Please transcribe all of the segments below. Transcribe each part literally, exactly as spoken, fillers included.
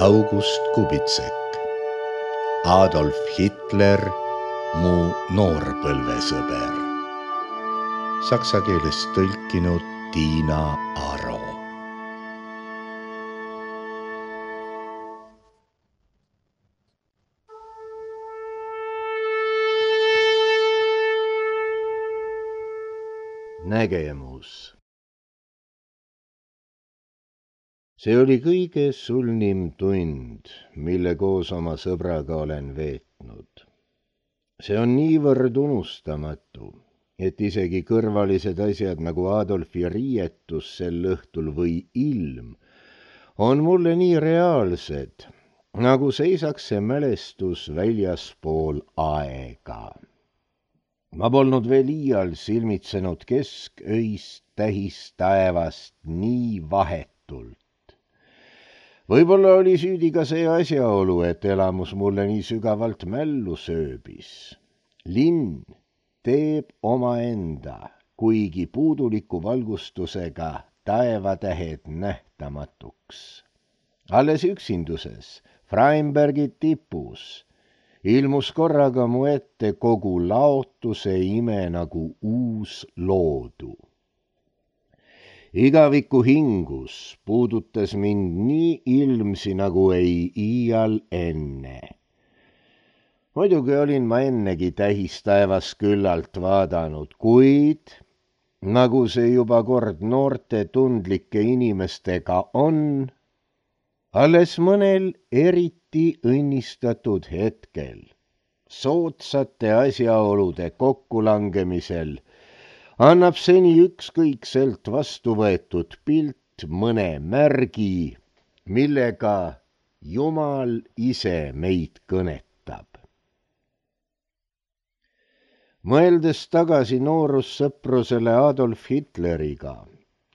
August Kubitsek, Adolf Hitler, mu noorpõlvesõber. Saksa keelest tõlkinud Tiina Aro. Nägemus. See oli kõige sulnim tund, mille koos oma sõbraga olen veetnud. See on niivõrd unustamatu, et isegi kõrvalised asjad nagu Adolfi riietus sel õhtul või ilm on mulle nii reaalsed, nagu seisaks see mälestus väljaspool aega. Ma polnud veel iial silmitsenud kesköist tähistaevast nii vahetult. Võib-olla oli süüdi ka see asjaolu, et elamus mulle nii sügavalt mällu sööbis. Linn teeb omaenda, kuigi puuduliku valgustusega taevatähed nähtamatuks. Alles üksinduses, Freimbergi tipus, ilmus korraga mu ette kogu laotuse ime nagu uus loodu. Igaviku hingus puudutas mind nii ilmsi nagu ei iial enne. Muidugi olin ma ennegi tähistaevas küllalt vaadanud, kuid nagu see juba kord noorte tundlike inimestega on, alles mõnel eriti õnnistatud hetkel, soodsate asjaolude kokkulangemisel, annab seni ükskõikselt vastu võetud pilt mõne märgi, millega Jumal ise meid kõnetab. Mõeldes tagasi noorussõprusele Adolf Hitleriga,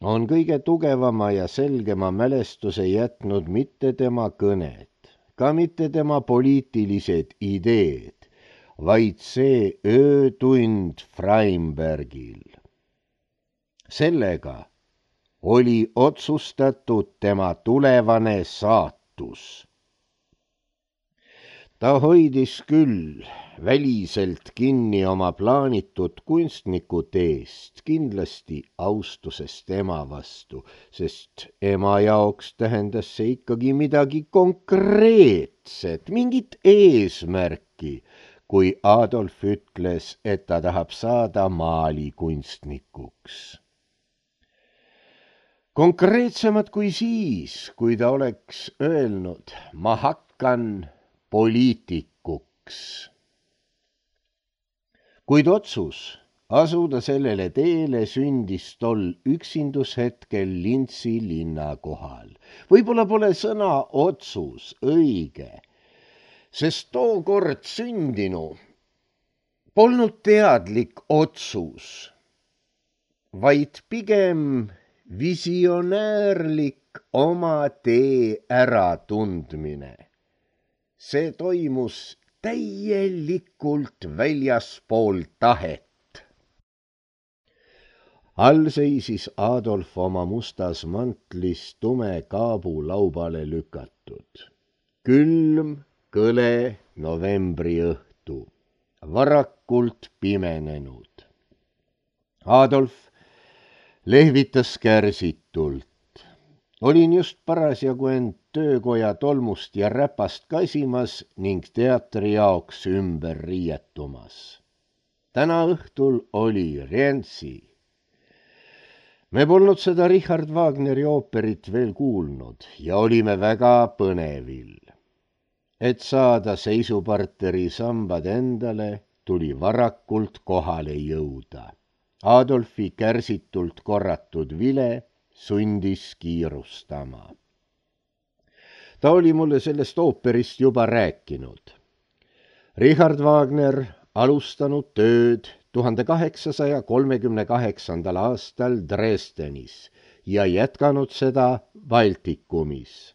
on kõige tugevama ja selgema mälestuse jätnud mitte tema kõned, ka mitte tema poliitilised ideed, vaid see öötund Freimbergil. Sellega oli otsustatud tema tulevane saatus. Ta hoidis küll väliselt kinni oma plaanitud kunstniku teest, kindlasti austusest ema vastu, sest ema jaoks tähendas see ikkagi midagi konkreetset, mingit eesmärki, kui Adolf ütles, et ta tahab saada maalikunstnikuks. Konkreetsemad kui siis, kui ta oleks öelnud, ma hakkan poliitikuks. Kuid otsus asuda sellele teele sündis tol üksindushetkel Lintsi linna kohal. Võib-olla pole sõna otsus õige, sest tookord sündinu polnud teadlik otsus, vaid pigem visionäärlik oma tee äratundmine. See toimus täielikult väljaspool tahet. All seisis Adolf oma mustas mantlis tume kaabu laubale lükatud. Külm, kõle novembri õhtu, varakult pimenenud. Adolf lehvitas kärsitult. Olin just parasjagu end töökoja tolmust ja räpast kasimas ning teatri jaoks ümber riietumas. Täna õhtul oli Rientsi. Me polnud seda Richard Wagneri ooperit veel kuulnud ja olime väga põnevil. Et saada seisuparteri sambad endale, tuli varakult kohale jõuda. Adolfi kärsitult korratud vile sundis kiirustama. Ta oli mulle sellest ooperist juba rääkinud. Richard Wagner alustanud tööd tuhande kaheksasaja kolmekümne kaheksandal aastal Dresdenis ja jätkanud seda Baltikumis.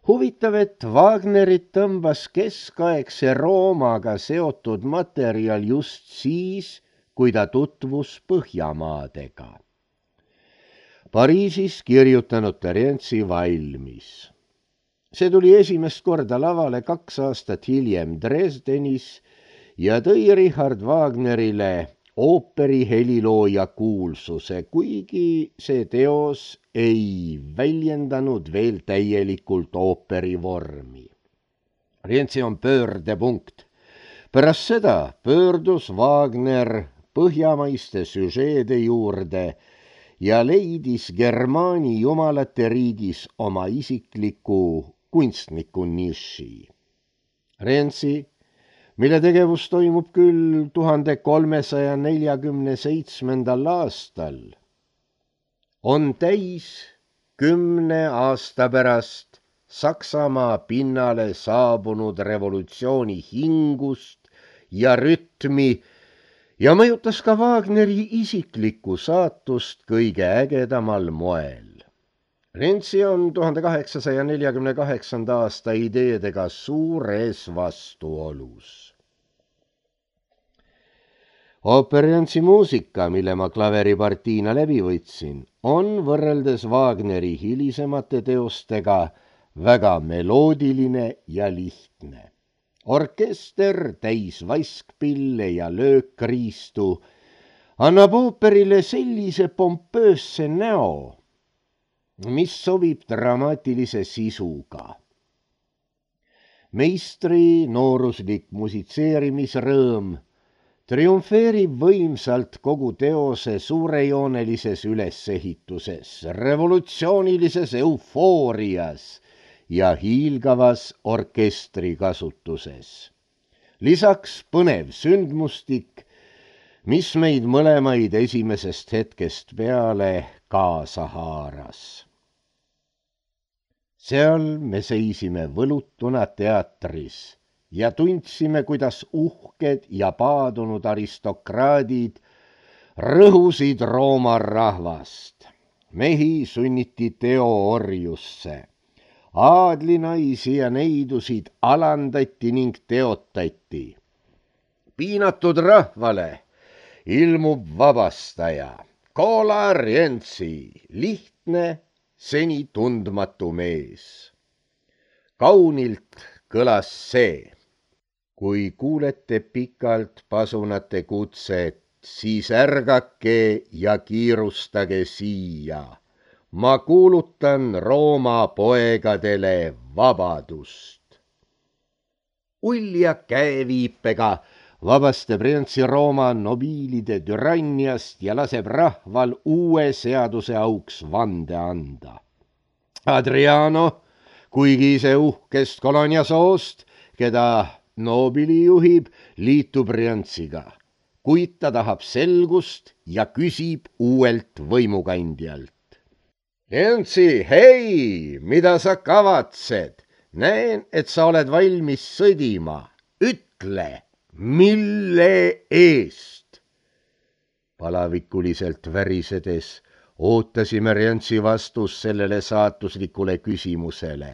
Huvitav, et Wagnerit tõmbas keskaegse Roomaga seotud materjal just siis, kui ta tutvus Põhjamaadega. Pariisis kirjutanud Terentsi valmis. see tuli esimest korda lavale kaks aastat hiljem Dresdenis ja tõi Richard Wagnerile ooperi helilooja kuulsuse, kuigi see teos ei väljendanud veel täielikult ooperi vormi. Rienzi on pöördepunkt. Pärast seda pöördus Wagner põhjamaiste süžeede juurde ja leidis Germaani jumalate riigis oma isikliku kunstniku niši. Rienzi, mille tegevus toimub küll tuhande kolmesaja neljakümne seitsmendal aastal, on täis kümne aasta pärast Saksamaa pinnale saabunud revolutsiooni hingust ja rütmi ja mõjutas ka Wagneri isiklikku saatust kõige ägedamal moel. Rienzi on tuhande kaheksasaja neljakümne kaheksanda aasta ideedega suures vastuolus. Ooper Rienzi muusika, mille ma klaveripartiina läbi võtsin, on võrreldes Wagneri hilisemate teostega väga meloodiline ja lihtne. Orkester täis vaskpille ja löökriistu annab ooperile sellise pompöösse näo, mis sobib dramaatilise sisuga. Meistri nooruslik musitseerimisrõõm triumfeerib võimsalt kogu teose suurejoonelises ülesehituses, revolutsioonilises eufoorias ja hiilgavas orkestri kasutuses. Lisaks põnev sündmustik, mis meid mõlemaid esimesest hetkest peale kaasa haaras. Seal me seisime võlutuna teatris ja tundsime, kuidas uhked ja paadunud aristokraadid rõhusid Rooma rahvast. Mehi sunniti teoorjusse. Aadlinaisi ja neidusid alandati ning teotati. Piinatud rahvale ilmub vabastaja, Cola Rienzi, lihtne, seni tundmatu mees. Kaunilt kõlas see. Kui kuulete pikalt pasunate kutset, siis ärgake ja kiirustage siia. Ma kuulutan Rooma poegadele vabadust. Ulja käeviipega vabastab Rienzi Rooma nobiilide türanniast ja laseb rahval uue seaduse auks vande anda. Adriano, kuigi ise uhkest koloniasoost, keda nobili juhib, liitub Rienziga, kuid ta tahab selgust ja küsib uuelt võimukandjalt. Rienzi, hei, mida sa kavatsed? Näen, et sa oled valmis sõdima. Ütle, mille eest? Palavikuliselt värisedes ootasime Rienzi vastus sellele saatuslikule küsimusele.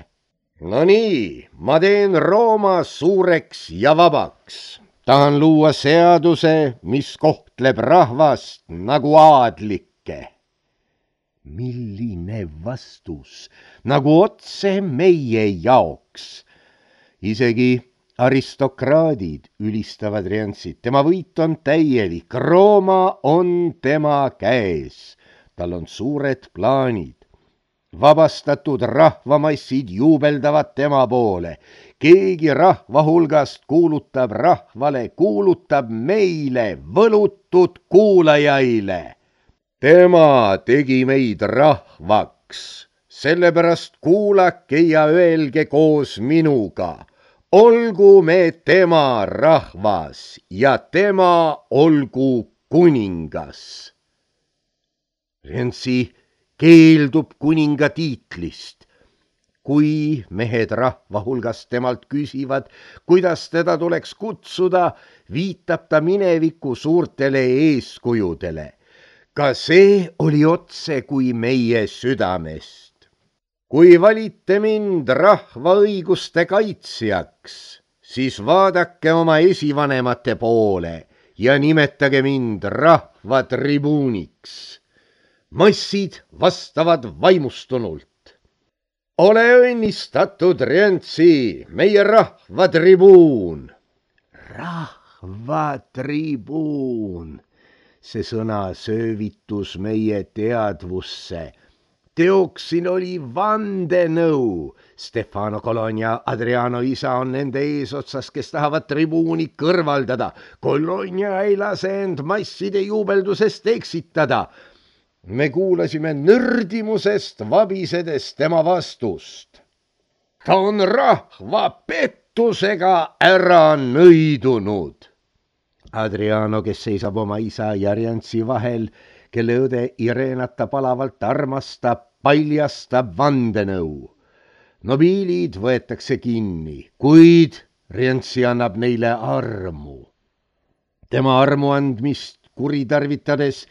No nii, ma teen Rooma suureks ja vabaks. Tahan luua seaduse, mis kohtleb rahvast nagu aadlikke. Milline vastus, nagu otse meie jaoks. Isegi aristokraadid ülistavad Rienzit. Tema võit on täielik. Rooma on tema käes. Tal on suured plaanid. Vabastatud rahvamassid juubeldavad tema poole. Keegi rahva hulgast kuulutab rahvale, kuulutab meile, võlutud kuulajaile. Tema tegi meid rahvaks, sellepärast kuulake ja öelge koos minuga. Olgu me tema rahvas ja tema olgu kuningas. Rienzi keeldub kuninga tiitlist. Kui mehed rahva hulgast temalt küsivad, kuidas teda tuleks kutsuda, viitab ta mineviku suurtele eeskujudele. Ka see oli otse kui meie südamest. Kui valite mind rahva õiguste kaitsjaks, siis vaadake oma esivanemate poole ja nimetage mind rahva tribuuniks. Massid vastavad vaimustunult. ole õnnistatud, Rientsi, meie rahvatribuun. Rahvatribuun, see sõna söövitus meie teadvusse. Teoksil oli vandenõu. Stefano Colonia Adriano isa on nende eesotsas, kes tahavad tribuuni kõrvaldada. Colonia ei lase end masside juubeldusest eksitada. Me kuulasime nördimusest vabisedes tema vastust. Ta on rahva pettusega ära nõidunud. Adriano, kes seisab oma isa ja Rientsi vahel, kelle õde Irenata palavalt armastab, paljastab vandenõu. Nobiilid võetakse kinni, kuid Rientsi annab neile armu. Tema armu andmist kuritarvitades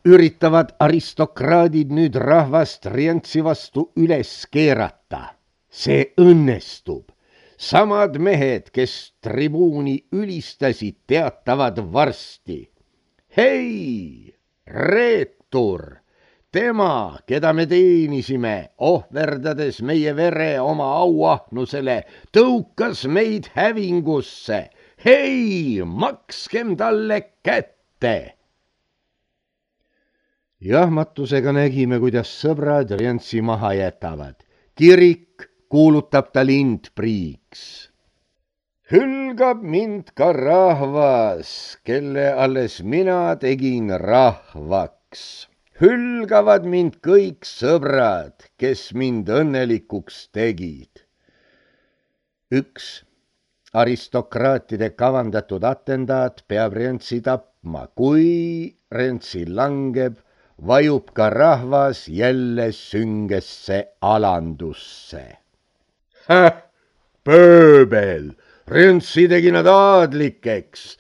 üritavad aristokraadid nüüd rahvast Rientsi vastu üles keerata. See õnnestub. Samad mehed, kes tribuuni ülistasid, teatavad varsti. Hei, reetur, tema, keda me teenisime, ohverdades meie vere oma auahnusele, tõukas meid hävingusse. Hei, makskem talle kätte! Jahmatusega nägime, kuidas sõbrad Rientsi maha jätavad. Kirik kuulutab ta lindpriiks. Hülgab mind ka rahvas, kelle alles mina tegin rahvaks. Hülgavad mind kõik sõbrad, kes mind õnnelikuks tegid. Üks aristokraatide kavandatud atendaat peab Rientsi tapma. Kui Rientsi langeb, vajub ka rahvas jälle süngesse alandusse. Häh, pööbel, Rientsi tegi nad aadlikeks.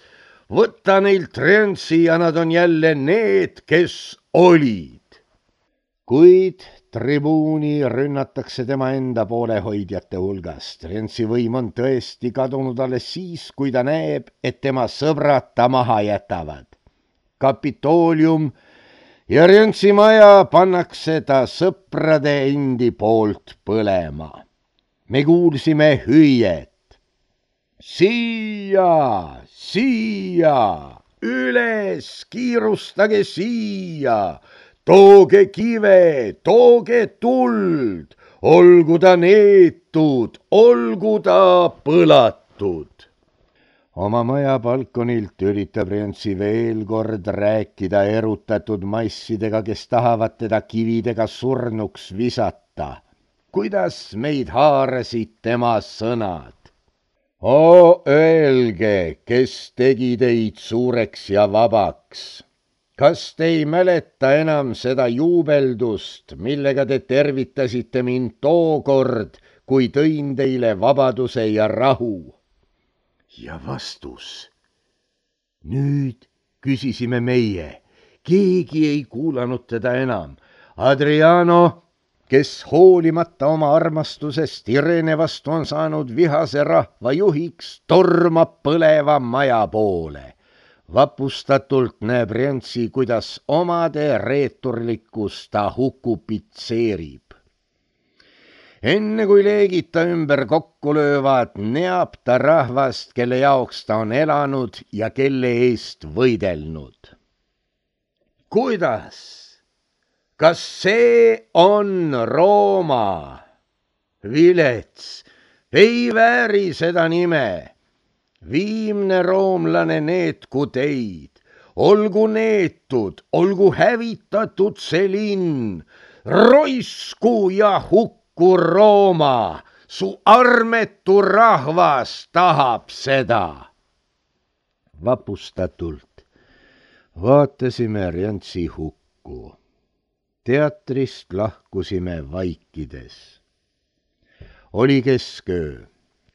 Võta neilt Rientsi ja nad on jälle need, kes olid. Kuid tribuuni rünnatakse tema enda poolehoidjate hulgast. Rientsi võim on tõesti kadunud alles siis, kui ta näeb, et tema sõbrad ta maha jätavad. Kapitoolium ja Rientsi maja pannakse ta sõprade endi poolt põlema. Me kuulsime hüüet. Siia, siia, üles, kiirustage siia, tooge kive, tooge tuld, olgu ta neetud, olgu ta põlatud. Oma maja balkonilt üritab Rientsi veel kord rääkida erutatud massidega, kes tahavad teda kividega surnuks visata. Kuidas meid haarasid tema sõnad? O öelge, kes tegi teid suureks ja vabaks. Kas te ei mäleta enam seda juubeldust, millega te tervitasite mind tookord, kui tõin teile vabaduse ja rahu? Ja vastus. Nüüd küsisime meie. Keegi ei kuulanud teda enam. Adriano, kes hoolimata oma armastusest Irene vastu on saanud vihase rahva juhiks, tormab põleva maja poole. Vapustatult näeb Rientsi, kuidas omade reeturlikkust ta hukupitseerib. Enne kui leegid ta ümber kokku löövad, neab ta rahvast, kelle jaoks ta on elanud ja kelle eest võidelnud. Kuidas? Kas see on Rooma? Vilets, ei vääri seda nime. Viimne roomlane neetku teid. Olgu neetud, olgu hävitatud see linn. Roisku ja hukku Rooma. Su armetu rahvas tahab seda. Vapustatult vaatasime Rientsi hukku. Teatrist lahkusime vaikides. Oli kesköö,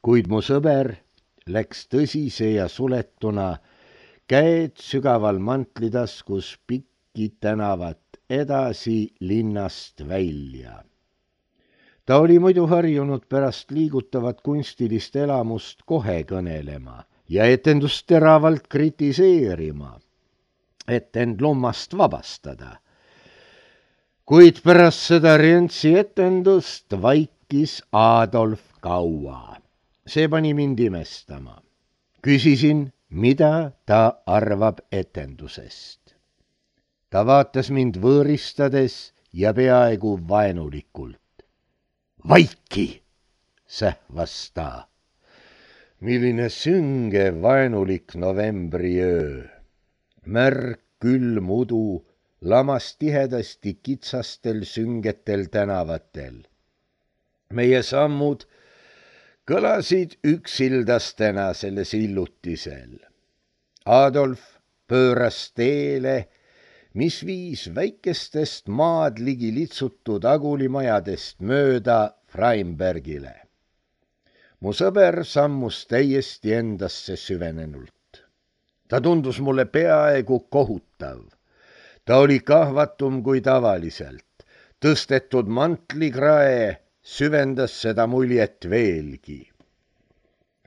kuid mu sõber läks tõsise ja suletuna, käed sügaval mantlitaskus pikki tänavat edasi linnast välja. Ta oli muidu harjunud pärast liigutavat kunstilist elamust kohe kõnelema ja etendust teravalt kritiseerima, et end lommast vabastada. Kuid pärast seda Rientsi etendust vaikis vaikis Adolf kaua. See pani mind imestama. Küsisin, mida ta arvab etendusest. Ta vaatas mind võõristades ja peaaegu vaenulikult. Vaiki, sähvas ta. Milline sünge vaenulik novembriöö. Märg külm udu lamas tihedasti kitsastel süngetel tänavatel. Meie sammud kõlasid üksildastena selle sillutisel. Adolf pööras teele, mis viis väikestest maad ligi litsutud agulimajadest mööda Freimbergile. Mu sõber sammus täiesti endasse süvenenult. Ta tundus mulle peaaegu kohutav. Ta oli kahvatum kui tavaliselt. Tõstetud mantlikrae süvendas seda muljet veelgi.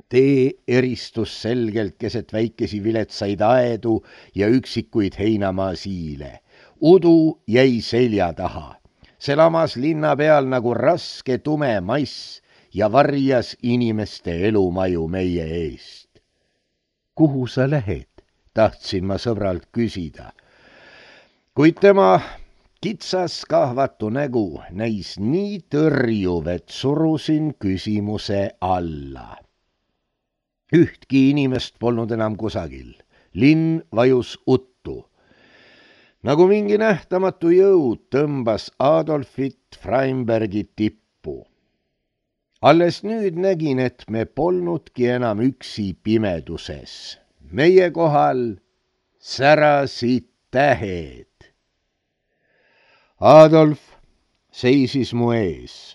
Tee eristus selgelt keset väikesi viletsaid aedu ja üksikuid heinamaa siile. Udu jäi selja taha. See lamas linna peal nagu raske tume mass ja varjas inimeste elumaju meie eest. Kuhu sa lähed? Tahtsin ma sõbralt küsida. Kuid tema kitsas kahvatu nägu näis nii tõrjuv, et surusin küsimuse alla. Ühtki inimest polnud enam kusagil. Linn vajus uttu. Nagu mingi nähtamatu jõud tõmbas Adolfit Freimbergi tippu. Alles nüüd nägin, et me polnudki enam üksi pimeduses. Meie kohal särasid tähed. Adolf seisis mu ees.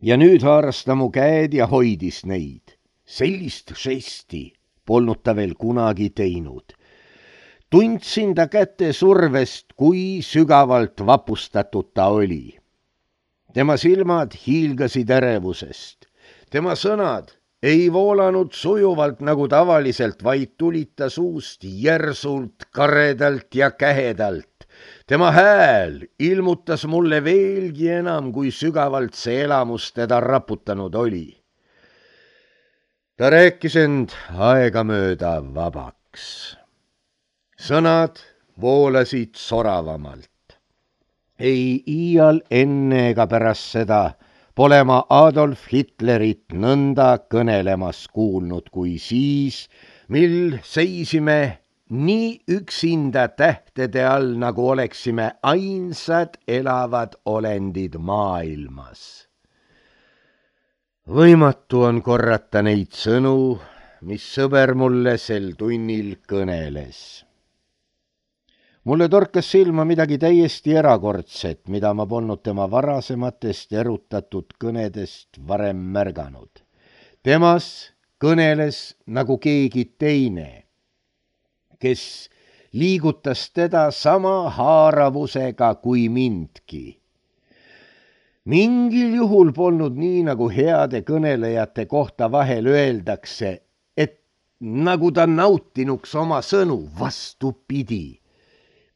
Ja nüüd haaras ta mu käed ja hoidis neid. Sellist žesti polnud ta veel kunagi teinud. Tundsin ta käte survest, kui sügavalt vapustatud ta oli. Tema silmad hiilgasid ärevusest. Tema sõnad ei voolanud sujuvalt nagu tavaliselt, vaid tulid ta suust järsult, karedalt ja kähedalt. Tema hääl ilmutas mulle veelgi enam, kui sügavalt see elamus teda raputanud oli. Ta rääkis end aegamööda vabaks. Sõnad voolasid soravamalt. Ei iial enne ega pärast seda pole ma Adolf Hitlerit nõnda kõnelemas kuulnud kui siis, mil seisime nii üksinda tähtede all, nagu oleksime ainsad elavad olendid maailmas. Võimatu on korrata neid sõnu, mis sõber mulle sel tunnil kõneles. Mulle torkas silma midagi täiesti erakordset, mida ma polnud tema varasematest erutatud kõnedest varem märganud. Temas kõneles nagu keegi teine, kes liigutas teda sama haaravusega kui mindki. Mingil juhul polnud nii, nagu heade kõnelejate kohta vahel öeldakse, et nagu ta nautinuks oma sõnu, vastupidi.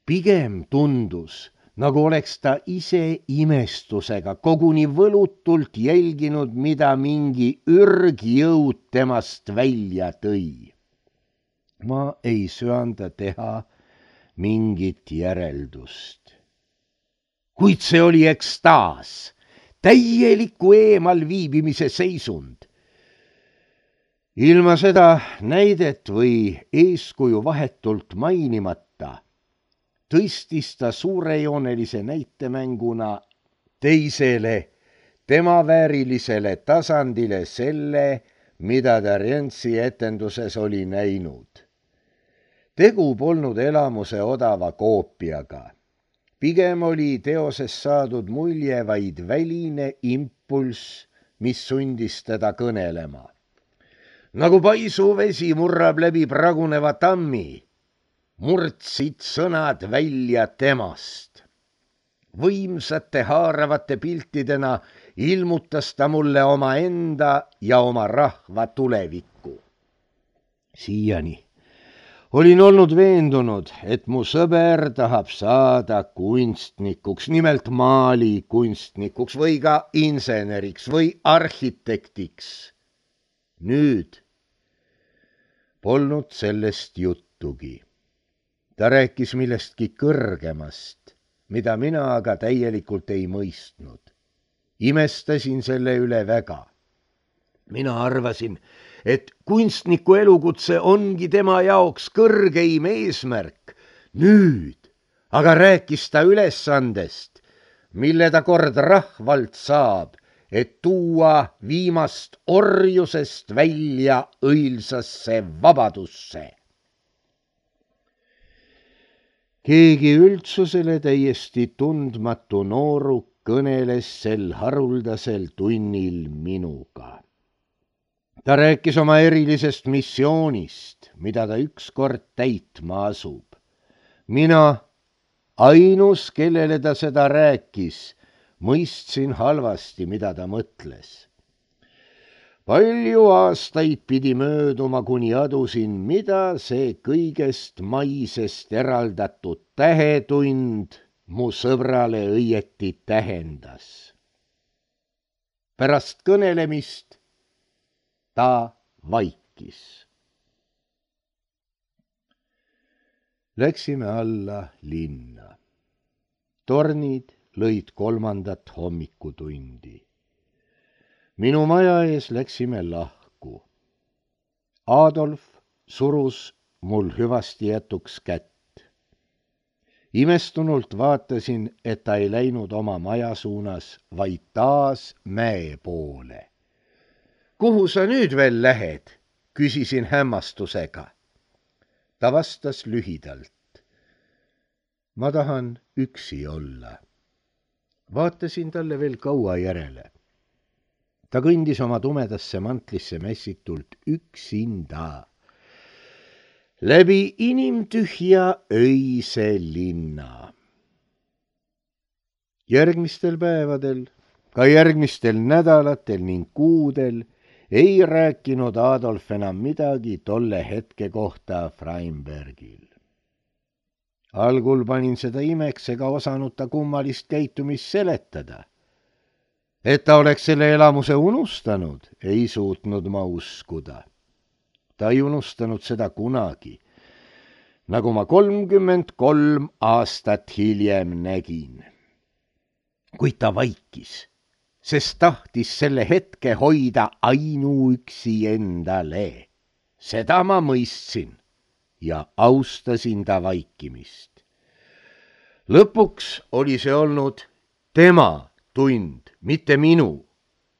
Pigem tundus, nagu oleks ta ise imestusega koguni võlutult jälginud, mida mingi ürgjõud temast välja tõi. Ma ei söanda teha mingit järeldust. Kuid see oli ekstaas, täieliku eemal viibimise seisund. Ilma seda näidet või eeskuju vahetult mainimata tõstis ta suurejoonelise näitemänguna teisele, tema väärilisele tasandile selle, mida ta Rientsi etenduses oli näinud. Tegu polnud elamuse odava koopiaga. Pigem oli teoses saadud mulje vaid väline impulss, mis sundis teda kõnelema. Nagu paisuvesi murrab läbi praguneva tammi, murdsid sõnad välja temast. Võimsate haaravate piltidena ilmutas ta mulle oma enda ja oma rahva tulevikku. Siiani Olin olnud veendunud, et mu sõber tahab saada kunstnikuks, nimelt maalikunstnikuks või ka inseneriks või arhitektiks. Nüüd polnud sellest juttugi. Ta rääkis millestki kõrgemast, mida mina aga täielikult ei mõistnud. Imestasin selle üle väga. Mina arvasin, et kunstniku elukutse ongi tema jaoks kõrgeim eesmärk. Nüüd aga rääkis ta ülesandest, mille ta kord rahvalt saab, et tuua viimast orjusest välja õilsasse vabadusse. Keegi üldsusele täiesti tundmatu nooruk kõneles sel haruldasel tunnil minuga. Ta rääkis oma erilisest missioonist, mida ta ükskord täitma asub. Mina, ainus, kellele ta seda rääkis, mõistsin halvasti, mida ta mõtles. Palju aastaid pidi mööduma, kuni adusin, mida see kõigest maisest eraldatud tähetund mu sõbrale õieti tähendas. Pärast kõnelemist ta vaikis. Läksime alla linna. Tornid lõid kolmandat hommikutundi. Minu maja ees läksime lahku. Adolf surus mul hüvasti jätuks kätt. Imestunult vaatasin, et ta ei läinud oma maja suunas, vaid taas mäe poole. Kuhu sa nüüd veel lähed? Küsisin hämmastusega. Ta vastas lühidalt. Ma tahan üksi olla. Vaatasin talle veel kaua järele. Ta kõndis oma tumedasse mantlisse mässitult üksinda. Läbi inimtühja öise linna. Järgmistel päevadel, ka järgmistel nädalatel ning kuudel ei rääkinud Adolf enam midagi tolle hetke kohta Freimbergil. Algul panin seda imeks ega osanud ta kummalist käitumist seletada. Et ta oleks selle elamuse unustanud, ei suutnud ma uskuda. Ta ei unustanud seda kunagi, nagu ma kolmkümmend kolm aastat hiljem nägin. Kuid ta vaikis, sest tahtis selle hetke hoida ainuüksi endale. Seda ma mõistsin ja austasin ta vaikimist. Lõpuks oli see olnud tema tund, mitte minu.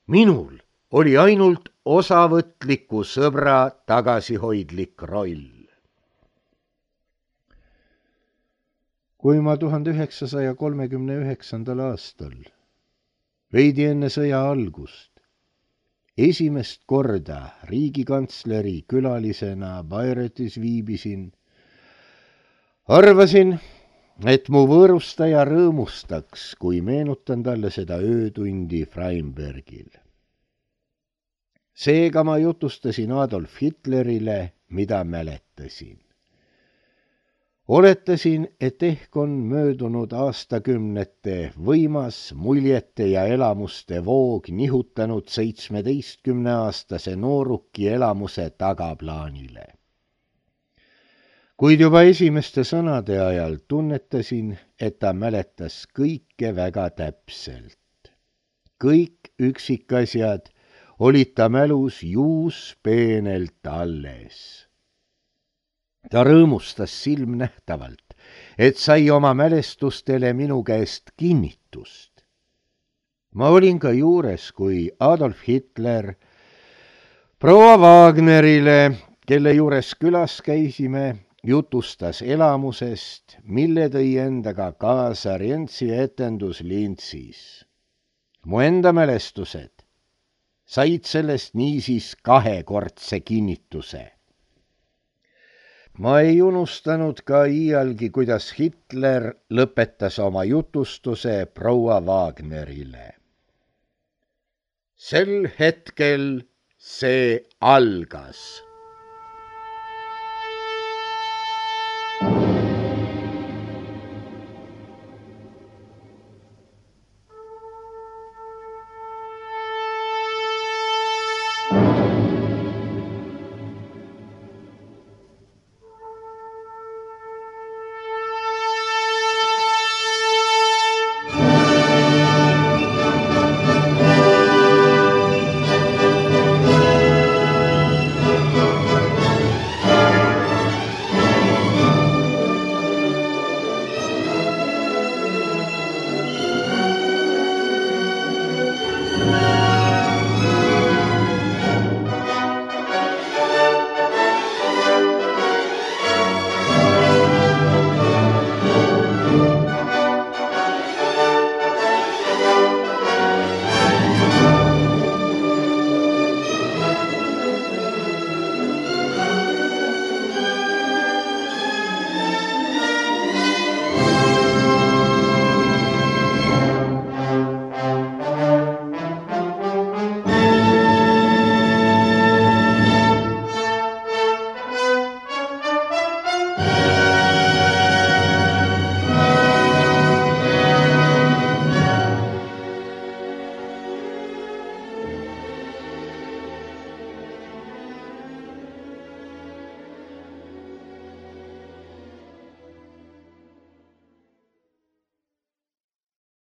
Minul oli ainult osavõtliku sõbra tagasihoidlik roll. Kui ma tuhande üheksasaja kolmekümne üheksandal aastal, veidi enne sõja algust, esimest korda riigikantsleri külalisena Bayreuthes viibisin, arvasin, et mu võõrustaja rõõmustaks, kui meenutan talle seda öötundi Freimbergil. Seega ma jutustasin Adolf Hitlerile, mida mäletasin. Oletasin, et ehk on möödunud aastakümnete võimas muljete ja elamuste voog nihutanud seitsmeteistkümneaastase nooruki elamuse tagaplaanile. Kuid juba esimeste sõnade ajal tunnetasin, et ta mäletas kõike väga täpselt. Kõik üksikasjad olid ta mälus juuspeenelt alles. Ta rõõmustas silmnähtavalt, et sai oma mälestustele minu käest kinnitust. Ma olin ka juures, kui Adolf Hitler proua Wagnerile, kelle juures külas käisime, jutustas elamusest, mille tõi endaga kaasa Rientsi etendus Linzis. Mu enda mälestused said sellest niisiis kahekordse kinnituse. Ma ei unustanud ka iialgi, kuidas Hitler lõpetas oma jutustuse proua Wagnerile. Sel hetkel see algas.